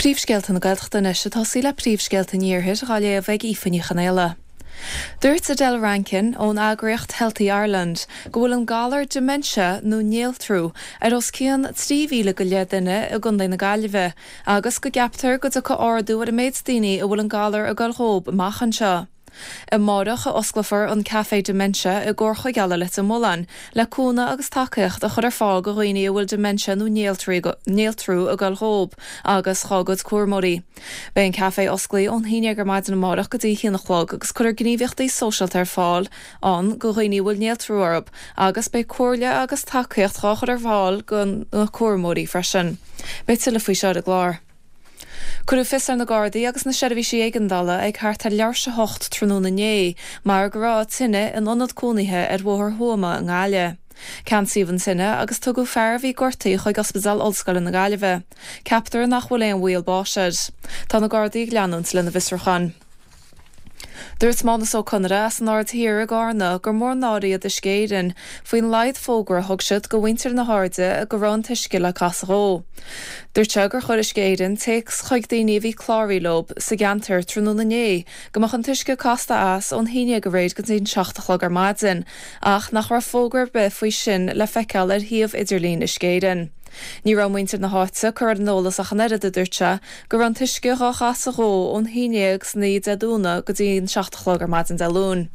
Príomhscéalta na Gaeltachta anois ag tosaí le príomhscéalta an Iarthair dhá léamh ag Aoife Ní Chonaola. Dúirt Adele Rankin ón eagraíocht Healthy Ireland go bhfuil an galar dementia nó néaltrú ar os cionn 3,000 go leith duine i gContae na Gaillimhe agus go gceaptar go dtiocfaidh ardú ar an méid daoine a bhfuil an galar ag goil dhób amach anseo. Amárach a osclófar an Café Dementia i gComhar Chuigéal i Leitir Mealláin le cúnamh agus tacaíocht a chur ar fáil go dhaoine a bhfuil dementia nó néaltrú ag goil dhób agus dhá gcuid cúramóirí. Beidh an café osclaí ón haon dhéag ar maidin amárach go dtí a haon a chlog agus cuirfear gníomhaíochtaí sóisialta ar fáil ann go dhaoine a bhfuil néaltrú orthu agus beidh comhairle agus tacaíocht dhá chur ar fáil go na cúramóirí freisin. Beidh tuilleadh faoi seo ar an gclár. Cuireadh fios ar na Gardaí agus na seirbhísí éigeandála ag thart ar leathuair tar éis a hocht tráthnóna inné mar go raibh tine in ionad cónaithe ar Bhóthar Thuama i nGaillimh. Ceansaíodh an tine agus tugadh fear a bhí gortaithe chuig Ospidéal Ollscoile na Gaillimhe. Ceaptar nach bhfuil aon bhaol báis air. Tá na Gardaí ag leanúint lena bhfiosrúchán. Dúirt Mánus Ó Conaire as an Aird Thiar i gCarna gur mór an náire iad Uisce Éireann faoin laghad fógra a thug siad go mhuintir na hAirde go raibh an t-uisce le casadh dhó. Dúirt sé gur chuir Uisce Éireann téacs chuig daoine a bhí cláraithe leo sa gceantar tráthnóna inné go mbeadh an t-uisce casta as ón haon dhéag aréir go dtí an seacht a chlog ar maidin ach nach raibh fógra ar bith faoi sin le feiceáil ar shuíomh idirlín Uisce Éireann. Ní raibh muintir na háite curtha ar an eolas ach an oiread, a dúirt sé, go raibh an t-uisce dhá chasadh dhó ón haon dhéag san oíche Dé Domhnaigh go dtí an seacht a chlog ar maidin Dé Luain.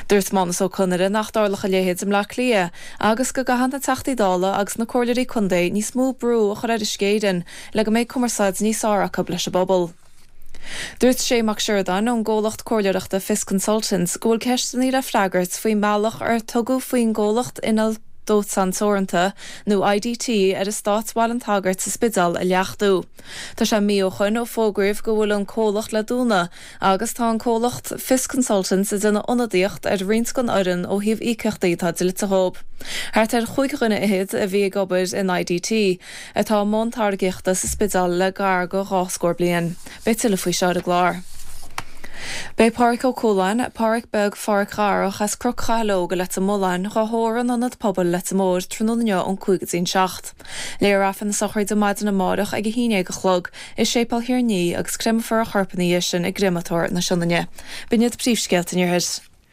Dúirt Mánus Ó Conaire nach dtarlódh a leithéid i mBleá Cliath agus go gcaithfidh na Teachtaí Dála agus na Comhairleoirí Contae níos mó brú a chur ar Uisce Éireann le go mbeidh cumarsáid níos fearr acu leis an bpobal. Dúirt Shay Mac Siordáin ón gcomhlacht comhairleoireachta Fios Consultants go bhfuil ceisteanna le freagairt faoin mbealach ar tugadh faoin gcomhlacht Inneall Dóiteáin Teoranta nó IDT ar eastát Bhaile an tSagairt sa Spidéal a leachtú. Tá sé mí ó shoin ó fógraíodh go bhfuil an comhlacht le dúnadh agus tá an comhlacht Fios Consultants ag déanamh ionadaíocht ar roinnt den fhoireann ó thaobh íocaíochtaí atá dlite dhóibh. Thart ar chúig dhuine fhichead a bhí ag obair in IDT, atá i mbun táirgíochta sa Spidéal le gar go dhá scór bliain. Beidh tuilleadh faoi seo ar an gclár. Beidh Páraic Ó Cualáin, Páraic Beag Pháraic Dharach as Cnoc Chathail Óg i Leitir Mealláin, dhá thórramh in Ionad Pobail Leitir Móir tráthnóna inniu ón 5 go dtí an 7. Léifear Aifreann na sochraide maidin amárach ag 11 a chlog i Séipéal Thír an Fhia agus créamfar a chorp ina dhiaidh sin i gcréamatóir na Sionainne. B'in iad príomhscéalta an Iarthair.